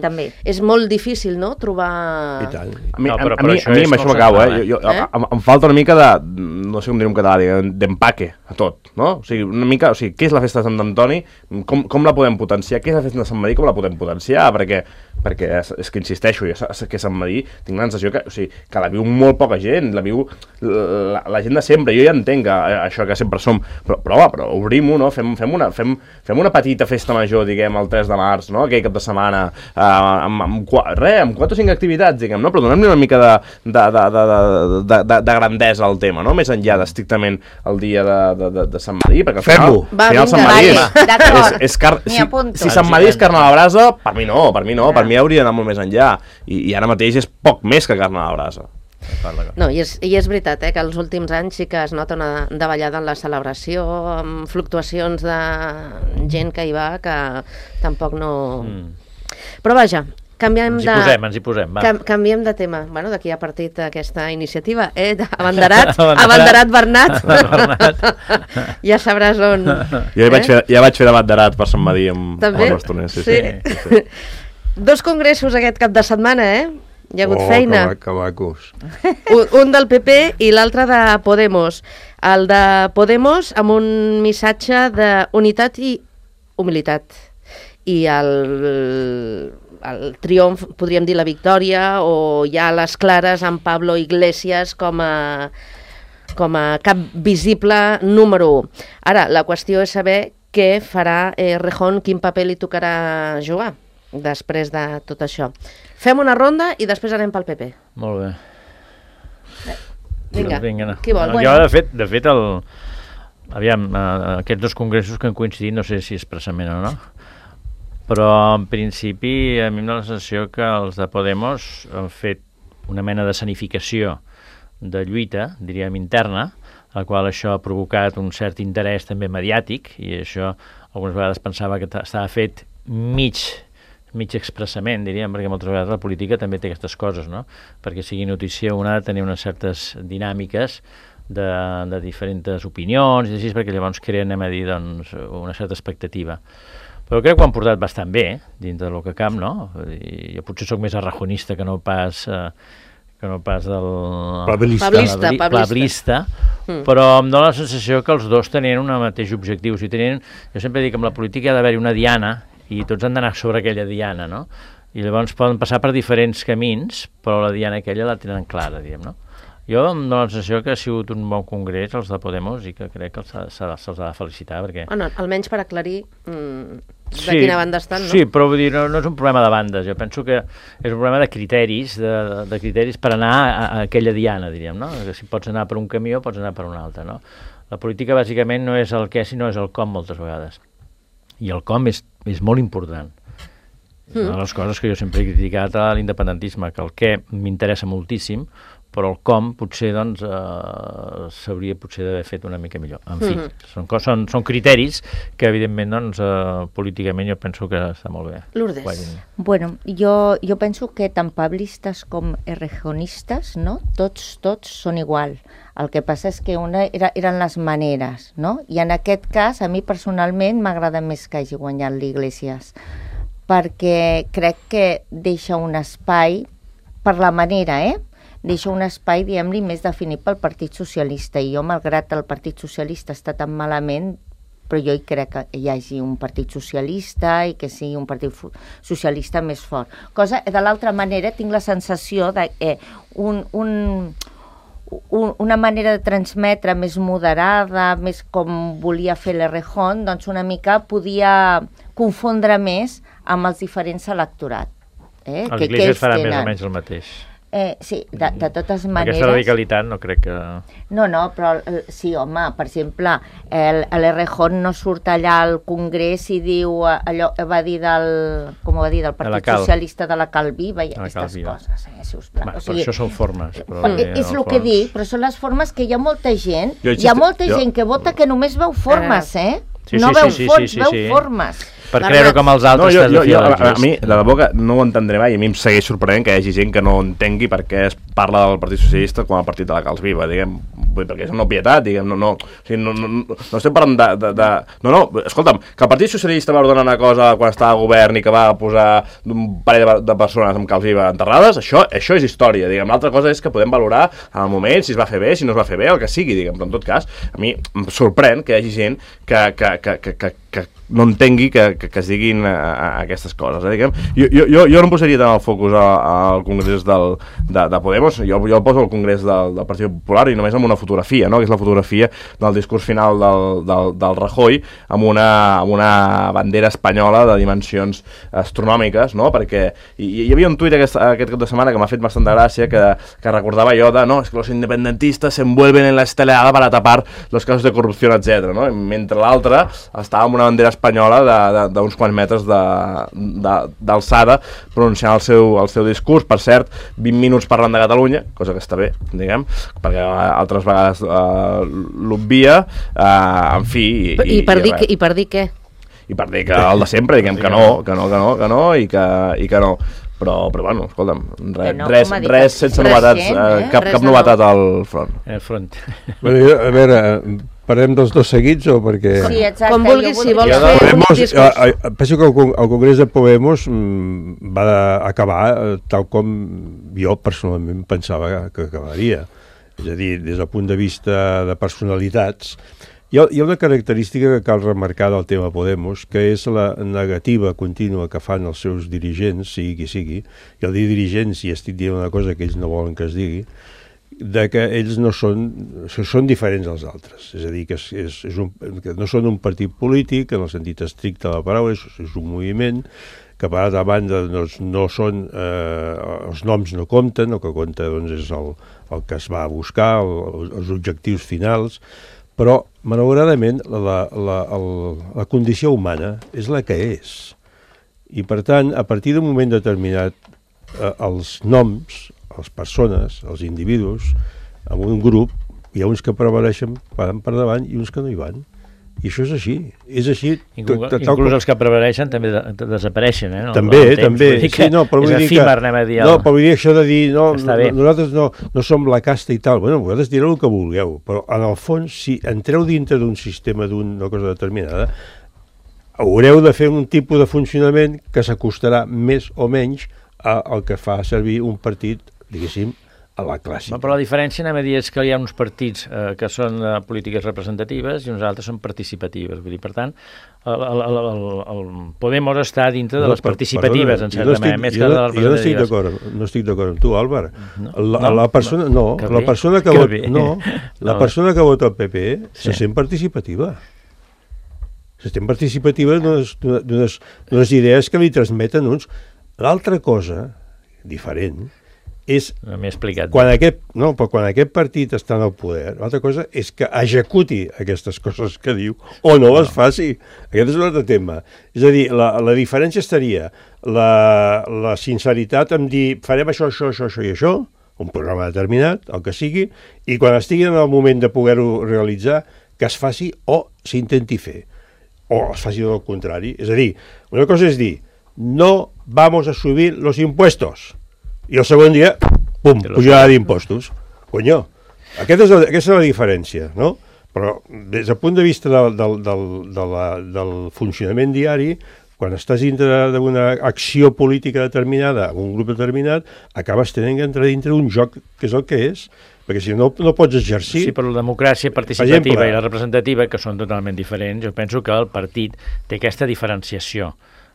també és molt difícil, no?, trobar... I tant. A mi, no, però, a mi, a mi amb això m'acabo, eh? Jo, jo, eh? Em, em falta una mica de, no sé com dir en català, d'empaque a tot, no? O sigui, una mica, o sigui, què és la festa de Sant Antoni? Com, com la podem potenciar? Què és la festa de Sant Madí? Com la podem potenciar? Perquè, perquè és, és que insisteixo, jo que Sant Madí tinc la sensació que, o sigui, que la viu molt poca gent, la viu la, la gent de sempre. Jo ja entenc que, això que sempre som, però, però, però obrim-ho, no? Fem, fem, una, fem, fem una petita festa major, diguem, el tres de març, no? Aquell cap de setmana, eh, amb, amb, res, amb quatre o cinc activitats, diguem, no? Però donem-li una mica de, de, de, de, de, de, de grandesa al tema, no? Més enllà d'estrictament el dia de, de, de, de Sant Madí, perquè al final, va, al final Sant Madí és, és, és car... si, si Sant Madí és carn a la brasa, per mi no, per mi no, per mi hauria d'anar molt més enllà, i, i ara mateix és poc més que carn a la brasa. No, i és, i és veritat, eh, que els últims anys sí que es nota una davallada en la celebració, amb fluctuacions de gent que hi va, que tampoc no... Mm. Però vaja, canviem ens de... Ens hi posem, ens hi posem, va. Cam, canviem de tema. Bueno, d'aquí ha partit aquesta iniciativa, eh? Abanderat, abanderat Bernat. Bernat. Ja sabràs on... Jo ja, eh? vaig fer, ja vaig fer d'abanderat per Sant Madí amb, amb el Bastoner. Sí, sí. Sí. Sí, sí. Dos congressos aquest cap de setmana, eh? Hi ha hagut oh, feina. Oh, que macos. Un, un del P P i l'altre de Podemos. El de Podemos amb un missatge d'unitat i humilitat. I el, el triomf, podríem dir la victòria, o ja les clares amb Pablo Iglesias com a, com a cap visible número u. Ara, la qüestió és saber què farà eh, Rejón, quin paper li tocarà jugar després de tot això. Fem una ronda i després anem pel P P. Molt bé. Vinga, Vinga no. Qui vol? No, jo, de fet, de fet el... aviam, eh, aquests dos congressos que han coincidit, no sé si expressament o no, però en principi a mi em dóna la sensació que els de Podemos han fet una mena de sanificació de lluita, diríem, interna, la qual això ha provocat un cert interès també mediàtic, i això algunes vegades pensava que estava fet mig mig expressament, diríem, perquè moltes vegades la política també té aquestes coses, no? Perquè sigui notícia una ha de tenir unes certes dinàmiques de, de diferents opinions, i així, perquè llavors creen, anem a dir, doncs, una certa expectativa. Però crec que ho han portat bastant bé, dins del que camp, no? I jo potser sóc més arrajonista que no pas... Eh, que no pas del... Pablista. Pablista, pablista. pablista mm. Però em dóna la sensació que els dos tenien un mateix objectiu. O sigui, tenien, jo sempre dic que amb la política hi ha d'haver-hi una diana i tots han d'anar sobre aquella diana, no? I llavors poden passar per diferents camins, però la diana aquella la tenen clara, diguem, no? Jo em dóna la sensació que ha sigut un bon congrés, els de Podemos, i que crec que se'ls ha de felicitar, perquè... Bueno, almenys per aclarir mm, de sí, quina banda estan, no? Sí, però vull dir, no, no és un problema de bandes, jo penso que és un problema de criteris, de, de criteris per anar a, a aquella diana, diríem, no? Que si pots anar per un camí o pots anar per un altre, no? La política, bàsicament, no és el què, sinó és el com, moltes vegades. I el com és, és molt important. És una de les coses que jo sempre he criticat a l'independentisme, que el què m'interessa moltíssim, però el com potser doncs eh, s'hauria potser d'haver fet una mica millor. En fi, mm-hmm. són, són, són criteris que evidentment doncs eh, políticament jo penso que està molt bé. Lourdes. Bueno, jo, jo penso que tant pablistes com errejonistes, no? Tots, tots són igual. El que passa és que una era, eren les maneres, no? I en aquest cas, a mi personalment m'agrada més que hagi guanyat l'Iglesias, perquè crec que deixa un espai per la manera, eh? Deixa un espai, diguem-li, més definit pel Partit Socialista. I jo, malgrat el Partit Socialista està tan malament, però jo hi crec que hi hagi un Partit Socialista i que sigui un Partit Socialista més fort. Cosa, de l'altra manera, tinc la sensació de que eh, un, un, un, una manera de transmetre més moderada, més com volia fer l'Errejón, doncs una mica podia confondre més amb els diferents electorat. Eh? Els Iglesias farà més o menys el mateix. Eh, sí, de, de totes maneres... Aquesta radicalitat no crec que... No, no, però sí, home, per exemple, l'Errejón no surt allà al Congrés i diu allò, va dir del, com va dir, del Partit de Socialista de la Cal Viva i aquestes coses, eh, si us plau. Va, o sigui, però això són formes. Però eh, és el fons... que dic, però són les formes que hi ha molta gent, jo hi ha molta jo... gent que vota que només veu formes, eh? Sí, no sí, veu sí, fons, sí, sí, veu sí. formes. Per creure com els altres... No, jo, jo, jo, a, a mi, de debò que no ho entendré mai, i a mi em segueix sorprenent que hi hagi gent que no entengui per què es parla del Partit Socialista com a partit de la Cals Viva, diguem, perquè és una obvietat, diguem, no, no, o sigui, no, no, no, no estem parlant de, de, de... No, no, escolta'm, que el Partit Socialista va ordenar una cosa quan estava a govern i que va posar un parell de, de persones amb Cals Viva enterrades, això, això és història, diguem, l'altra cosa és que podem valorar en el moment si es va fer bé, si no es va fer bé, el que sigui, diguem, però en tot cas, a mi em sorprèn que hi hagi gent que, que, que, que, que, que no entengui que, que, que es diguin a, a aquestes coses. Eh, diguem. Jo, jo, jo no em posaria tant el focus al congrés del, de, de Podemos, jo, jo el poso al congrés del, del Partit Popular i només amb una fotografia, no? Que és la fotografia del discurs final del, del, del Rajoy amb una, amb una bandera espanyola de dimensions astronòmiques, no? Perquè hi, hi havia un tuit aquest, aquest cap de setmana que m'ha fet bastant de gràcia que, que recordava allò de no, és que els independentistes se envuelven en la esteleada para tapar los casos de corrupció, etcètera. No? Mentre l'altre estava amb una bandera espanyola d'uns quants metres d'alçada pronunciant el seu, el seu discurs, per cert, vint minuts parlant de Catalunya, cosa que està bé, diguem, perquè altres vegades uh, l'obvia, uh, en fi... I, I, i, per i, dir que, I per dir què? I per dir que el de sempre, diguem que no, que no, que no, que no, i que, i que no. Però, però bueno, escolta'm, res, no, res, res sense novetats, eh? Eh, cap, cap novetat al front. Al front. Bueno, jo, a veure, parlem dels dos seguits o perquè... Sí, exacte. Com vulguis, si vols fer Podemos, un discurs. A, a, penso que el, el Congrés de Podemos mm, va acabar tal com jo personalment pensava que acabaria. És a dir, des del punt de vista de personalitats, hi ha, hi ha una característica que cal remarcar del tema Podemos, que és la negativa contínua que fan els seus dirigents, sigui qui sigui, i al dir dirigents, i estic dient una cosa que ells no volen que es digui, de que ells no són, són diferents dels altres. És a dir, que, és, és un, que no són un partit polític, en el sentit estricte de la paraula, és, és un moviment, que per altra banda no, no són, eh, els noms no compten, el que compta doncs, és el, el que es va buscar, el, els objectius finals, però malauradament la, la, el, la condició humana és la que és. I per tant, a partir d'un moment determinat, eh, els noms, les persones, els individus, en un grup, hi ha uns que prevaleixen, van per davant i uns que no hi van. I això és així. És així. Inclús, tot, tot, inclús els que prevaleixen també de, de, desapareixen, eh? No, també, també. Sí, no, però és efímer, anem a dir. No, però vull dir això de dir, no, no nosaltres no, no som la casta i tal. Bueno, vosaltres direu el que vulgueu, però en el fons, si entreu dintre d'un sistema, d'una cosa determinada, haureu de fer un tipus de funcionament que s'acostarà més o menys al que fa servir un partit, diguéssim, a la clàssica. Però la diferència, anem a dir, és que hi ha uns partits eh, que són eh, polítiques representatives i uns altres són participatives. Vull dir, per tant, el, el, el, el, el Podemos està dintre de les participatives, perdona, en certa manera, més que de les representatives. Jo no estic d'acord, no estic d'acord amb tu, Àlvar. No, la, no, la persona, no, no la persona que, que vota, no, la persona que vota el P P sí. se sent participativa. Se sent participativa d'unes idees que li transmeten uns. L'altra cosa, diferent, és... No m'he explicat. Quan aquest, no, però quan aquest partit està en el poder, l'altra cosa és que executi aquestes coses que diu o no les faci. Aquest és un altre tema. És a dir, la, la diferència estaria la, la sinceritat en dir farem això, això, això, això i això, un programa determinat, el que sigui, i quan estigui en el moment de poder-ho realitzar, que es faci o s'intenti fer, o es faci del contrari. És a dir, una cosa és dir, no vamos a subir los impuestos, i el segon dia, pum, pujarà d'impostos. Conyo, aquesta és, la, aquesta és la diferència, no? Però des del punt de vista del, del, del, de la, del funcionament diari, quan estàs dintre d'una acció política determinada, amb un grup determinat, acabes tenint que entrar dintre d'un joc que és el que és, perquè si no, no pots exercir... Sí, però la democràcia participativa exemple, i la representativa, que són totalment diferents, jo penso que el partit té aquesta diferenciació.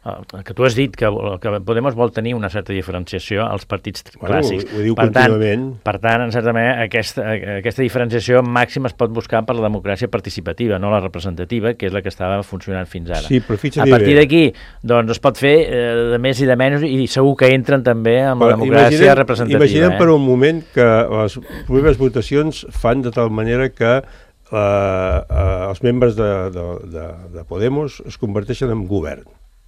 El que tu has dit, que, que Podemos vol tenir una certa diferenciació als partits bueno, clàssics. Ho, ho diu per contínuament. Tant, per tant, en certa manera, aquesta, aquesta diferenciació màxima es pot buscar per la democràcia participativa, no la representativa, que és la que estava funcionant fins ara. Sí, però a partir d'aquí, doncs, es pot fer eh, de més i de menys, i segur que entren també amb però la democràcia imaginem, representativa. Imaginem eh? per un moment que les properes votacions fan de tal manera que eh, eh, els membres de, de, de, de Podemos es converteixen en govern.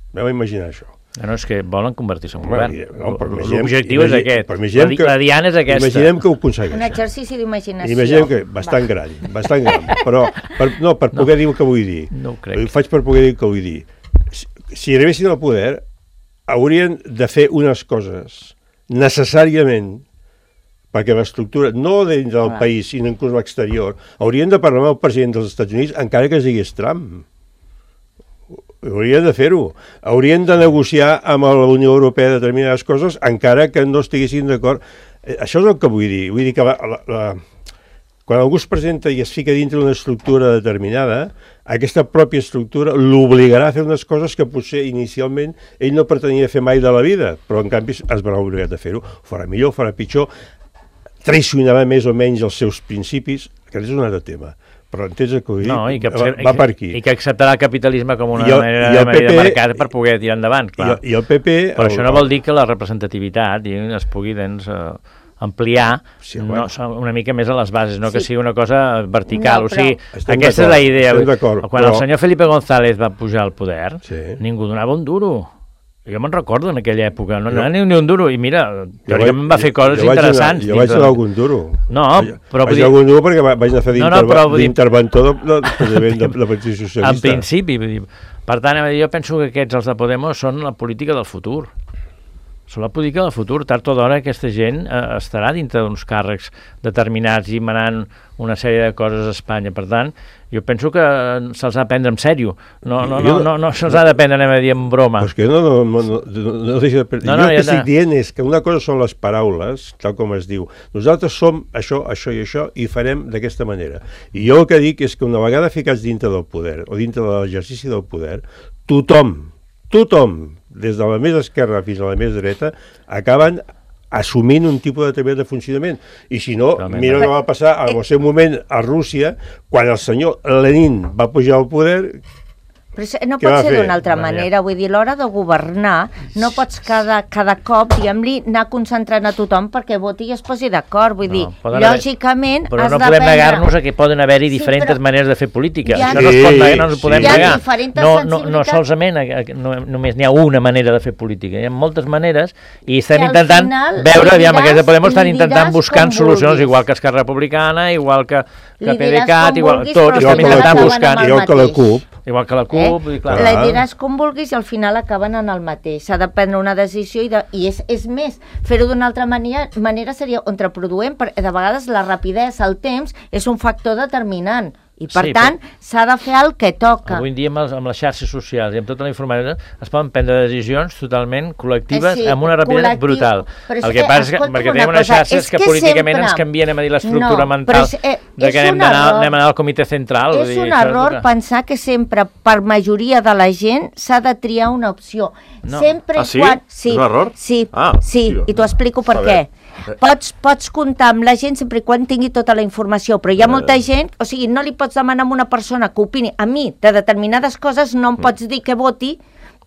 Vam imaginar això. No, no, és que volen convertir-se en govern. No, l'objectiu és aquest. La, la diana és aquesta. Imaginem que ho aconsegueixen. Un exercici d'imaginació. Imaginem que bastant Va. gran, bastant gran. Però, per, no, per poder no, dir el que vull dir. No ho crec. Ho faig per poder dir el que vull dir. Si, si arribessin al poder, haurien de fer unes coses necessàriament perquè l'estructura, no dins del ah. país, sinó inclús l'exterior, haurien de parlar amb el president dels Estats Units encara que es digués Trump. Haurien de fer-ho. Haurien de negociar amb la Unió Europea determinades coses encara que no estiguessin d'acord. Això és el que vull dir. Vull dir que la, la, la... quan algú es presenta i es fica dintre d'una estructura determinada, aquesta pròpia estructura l'obligarà a fer unes coses que potser inicialment ell no pretenia fer mai de la vida, però en canvi es verà obligat a fer-ho. Farà millor, farà pitjor, traicionarà més o menys els seus principis. Aquest és un altre tema. Però entens el que vull dir? No, i que, va, va per aquí. I que acceptarà el capitalisme com una el, manera, manera de mercat per poder tirar endavant, clar. I, i el P P... Però el, això no vol dir que la representativitat es pugui, doncs, uh, ampliar sí, bueno. no, una mica més a les bases, no sí. que sigui una cosa vertical. No, o sigui, estem aquesta és la idea. Quan però... el senyor Felipe González va pujar al poder, sí. ningú donava un duro. Jo me'n recordo en aquella època, no anava ni, ni un duro, i mira, teòricament va fer coses jo interessants. Jo vaig anar algun duro. No, però... Vaig anar algun duro perquè vaig anar a fer d'interventor no, no, de, de, de, de Partit Socialista. En principi, per tant, jo penso que aquests, els de Podemos, són la política del futur. Són la política del futur. Tard o d'hora aquesta gent eh, estarà dintre d'uns càrrecs determinats i manant una sèrie de coses a Espanya. Per tant, jo penso que se'ls ha de prendre en sèrio. No, no, no, no, no se'ls ha de prendre, anem a dir, en broma. Pues que no, no, no, no, no, no deixa de prendre. No, no, jo el que estic de... dient és que una cosa són les paraules, tal com es diu. Nosaltres som això, això i això, i farem d'aquesta manera. I jo el que dic és que una vegada ficats dintre del poder, o dintre de l'exercici del poder, tothom, tothom, des de la més esquerra fins a la més dreta, acaben assumint un tipus determinat de funcionament. I si no, Realment. mira què va passar al seu moment a Rússia, quan el senyor Lenin va pujar al poder... Però no pot ser d'una altra manera, vull dir, a l'hora de governar no pots cada, cada cop, diguem-li, anar concentrant a tothom perquè voti i es posi d'acord, vull dir, no, lògicament haver... Però has no de podem prendre... negar-nos a que poden haver-hi sí, diferents però... maneres de fer política, ha... això no es pot negar, no ens ho podem sí. negar. No, no, no solament, no, només n'hi ha una manera de fer política, hi ha moltes maneres i estem I intentant final, veure, aviam, aquests de Podemos estan intentant buscant solucions, igual que Esquerra Republicana, igual que, que PDeCAT, igual, tot, estem intentant buscar. Igual que la CUP. Igual que la CUP, eh? i clar. La diràs com vulguis i al final acaben en el mateix. S'ha de prendre una decisió i, de, i és, és més, fer-ho d'una altra manera, manera seria contraproduent, perquè de vegades la rapidesa, el temps, és un factor determinant. I, per sí, tant, però... s'ha de fer el que toca. Avui en dia, amb, els, amb les xarxes socials i amb tota la informació, es poden prendre decisions totalment col·lectives eh sí, amb una rapiditat brutal. Però el que passa és que, perquè tenim unes xarxes que, que políticament sempre... ens canvien a dir l'estructura no, mental és, eh, de que anem, anar, anem a anar al comitè central. És dir, un error que... pensar que sempre, per majoria de la gent, s'ha de triar una opció. No. Sempre ah, sí? Quan... sí? És un error? Sí, ah, sí. Tio. I t'ho explico per què. pots, pots comptar amb la gent sempre i quan tingui tota la informació, però hi ha molta gent, o sigui, no li pots demanar a una persona que opini, a mi, de determinades coses no em pots dir que voti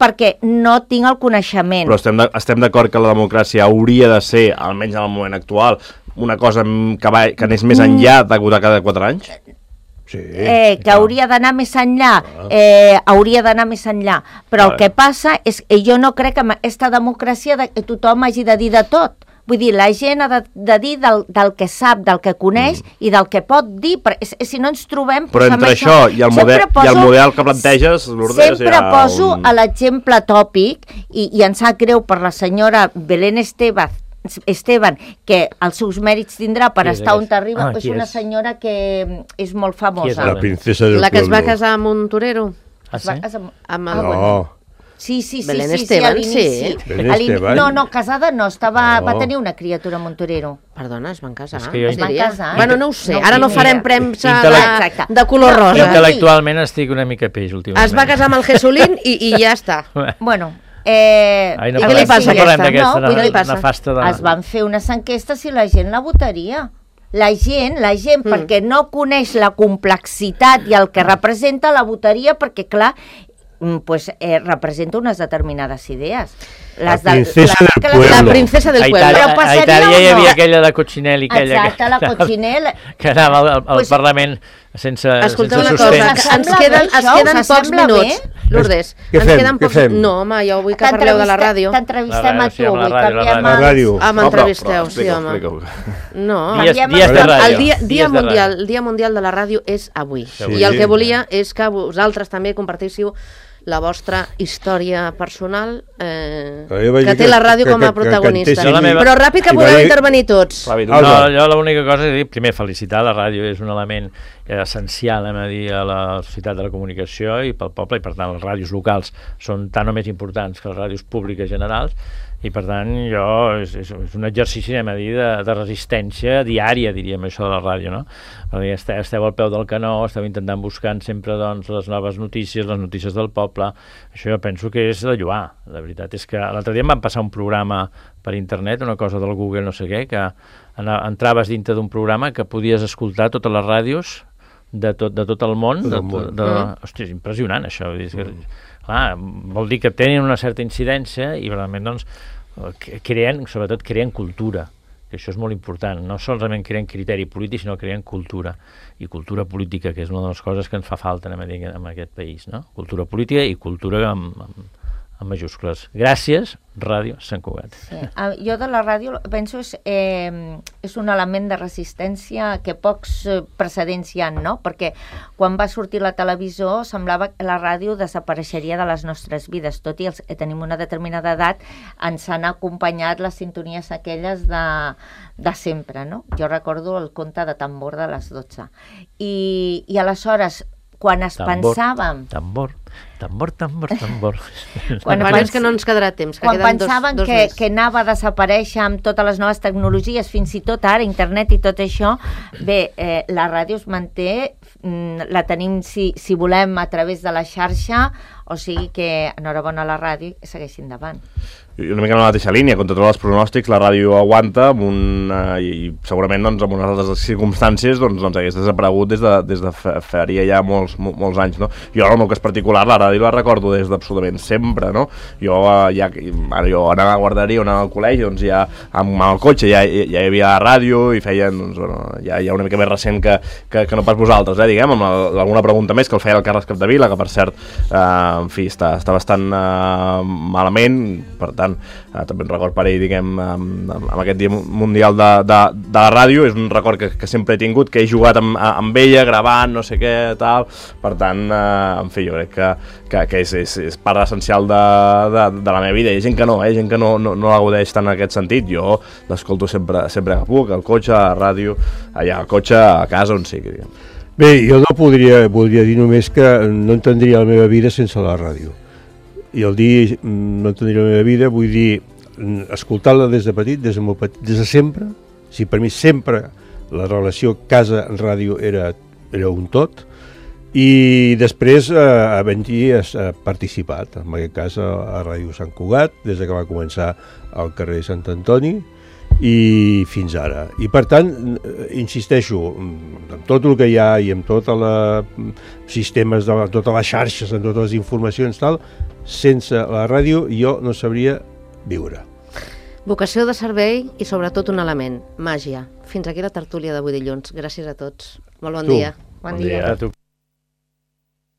perquè no tinc el coneixement. Però estem, de, estem d'acord que la democràcia hauria de ser, almenys en el moment actual, una cosa que, va, que anés més enllà de votar cada quatre anys? Sí, eh, que hauria d'anar més enllà, eh, hauria d'anar més enllà, però el que passa és que jo no crec que en aquesta democràcia de, que tothom hagi de dir de tot. Vull dir, la gent ha de, de dir del, del que sap, del que coneix mm. i del que pot dir, perquè si no ens trobem... Però entre això, això i, el model, poso, i el model que planteges, Lourdes... Sempre ja poso un... a l'exemple tòpic, i, i em sap greu per la senyora Belén Estevez, Esteban, que els seus mèrits tindrà per sí, estar on arriba, ah, és una senyora que és molt famosa. La princesa del La que pueblo. es va casar amb un torero. Ah, sí? Amb, amb el... no. Sí, sí, sí. Belén sí, Esteban, sí. sí. Belén Esteban. No, no, casada no, estava, no. va tenir una criatura amb un torero. Perdona, es van casar. Es que jo... Es van casar. Bueno, no ho sé, no, ara no farem premsa de, de color rosa. Intel·lectualment estic una mica peix, últimament. Es va casar amb el Jesulín i, i ja està. Bueno... Eh, Ai, no I què li passa a aquesta? No, què li passa? De... Es van fer unes enquestes i la gent la votaria. La gent, la gent, mm. perquè no coneix la complexitat i el que representa, la votaria perquè, clar, pues, eh, representa unes determinades idees. Les la princesa de, del pueblo. La princesa del pueblo. A Itàlia hi havia aquella de Coccinelli. Exacte, la Coccinelli. Que anava al, al pues, Parlament sense, escolta sense una sostens. Cosa, ens queden, ens queden pocs minuts. Lourdes, què ens fem? queden pocs... No, home, jo vull que parleu de la ràdio. T'entrevistem a tu, vull canviem la ràdio. Ah, m'entrevisteu, sí, home. No, dies, dies de ràdio. El dia, dia, mundial, el dia mundial de la ràdio és avui. I el que volia és que vosaltres també compartíssiu la vostra història personal eh, que té la ràdio com a protagonista. Però ràpid que podeu intervenir tots. No, jo l'única cosa és dir, primer, felicitar, la ràdio és un element essencial a, dir, a la societat de la comunicació i pel poble, i per tant les ràdios locals són tan o més importants que les ràdios públiques generals, i per tant jo, és, és un exercici a dir, de, de resistència diària, diríem, això de la ràdio, no? Perquè esteu, esteu al peu del canó, esteu intentant buscant sempre doncs, les noves notícies, les notícies del poble. Això jo penso que és de lloar. La veritat és que l'altre dia em van passar un programa per internet, una cosa del Google no sé què, que entraves dintre d'un programa que podies escoltar totes les ràdios de tot, de tot el món. De, de, de, mm. Hòstia, és impressionant això. És que, clar, vol dir que tenen una certa incidència i realment doncs, creen, sobretot creen cultura, que això és molt important. No solament creen criteri polític, sinó creen cultura, i cultura política, que és una de les coses que ens fa falta en aquest país, no? Cultura política i cultura amb, amb, amb majúscules. Gràcies, Ràdio Sant Cugat. Sí. Jo de la ràdio penso és, eh, és un element de resistència que pocs precedents hi ha, no? Perquè quan va sortir la televisió semblava que la ràdio desapareixeria de les nostres vides, tot i els que tenim una determinada edat ens han acompanyat les sintonies aquelles de, de sempre, no? Jo recordo el conte de tambor de les dotze. I, i aleshores, quan es tambor, pensàvem... Tambor, tambor, tambor, tambor... Quan pens... que no ens quedarà temps, que quan queden pensaven dos, dos que, més. que anava a desaparèixer amb totes les noves tecnologies, fins i tot ara, internet i tot això, bé, eh, la ràdio es manté, la tenim, si, si volem, a través de la xarxa, o sigui que enhorabona a la ràdio i segueixi endavant. Una mica en la mateixa línia, contra tots els pronòstics, la ràdio aguanta amb un, uh, i segurament doncs, en unes altres circumstàncies doncs, doncs hagués desaparegut des de, des de faria ja molts, molts anys, no? Jo, en el meu cas particular, la ràdio la recordo des d'absolutament sempre, no? Jo, uh, ja, ara, jo anava a guarderia o anava al col·legi, doncs ja amb, amb el cotxe ja, ja hi havia ràdio i feien, doncs, bueno, ja, ja una mica més recent que, que, que no pas vosaltres, eh, diguem, amb el, alguna pregunta més que el feia el Carles Capdevila, que per cert, uh, en fi, està, està bastant uh, malament, per tant, Uh, també un record per ell, diguem, amb, amb aquest dia mundial de, de, de la ràdio. És un record que, que sempre he tingut, que he jugat amb, amb ella, gravant, no sé què, tal. Per tant, uh, en fi, jo crec que, que, que és, és, és part essencial de, de, de la meva vida. Hi ha gent que no, eh? Hi ha gent que no, no, no la gaudeix tant en aquest sentit. Jo l'escolto sempre, sempre que puc, al cotxe, a la ràdio, allà al cotxe, a casa, on sigui, diguem. Bé, jo no podria, podria dir només que no entendria la meva vida sense la ràdio. I el dir no entendria la meva vida, vull dir, escoltar-la des de petit, des de, molt petit, des de sempre. Si per mi sempre la relació casa-ràdio era, era un tot. I després, eh, havent-hi participat, en aquest cas a, a Ràdio Sant Cugat, des que va començar al carrer Sant Antoni, i fins ara. I per tant, insisteixo, amb tot el que hi ha i amb tots els sistemes, de totes les xarxes, amb totes les informacions, tal, sense la ràdio jo no sabria viure. Vocació de servei i sobretot un element, màgia. Fins aquí la tertúlia d'avui dilluns. Gràcies a tots. Molt bon tu. dia. Bon, bon dia. dia a tu.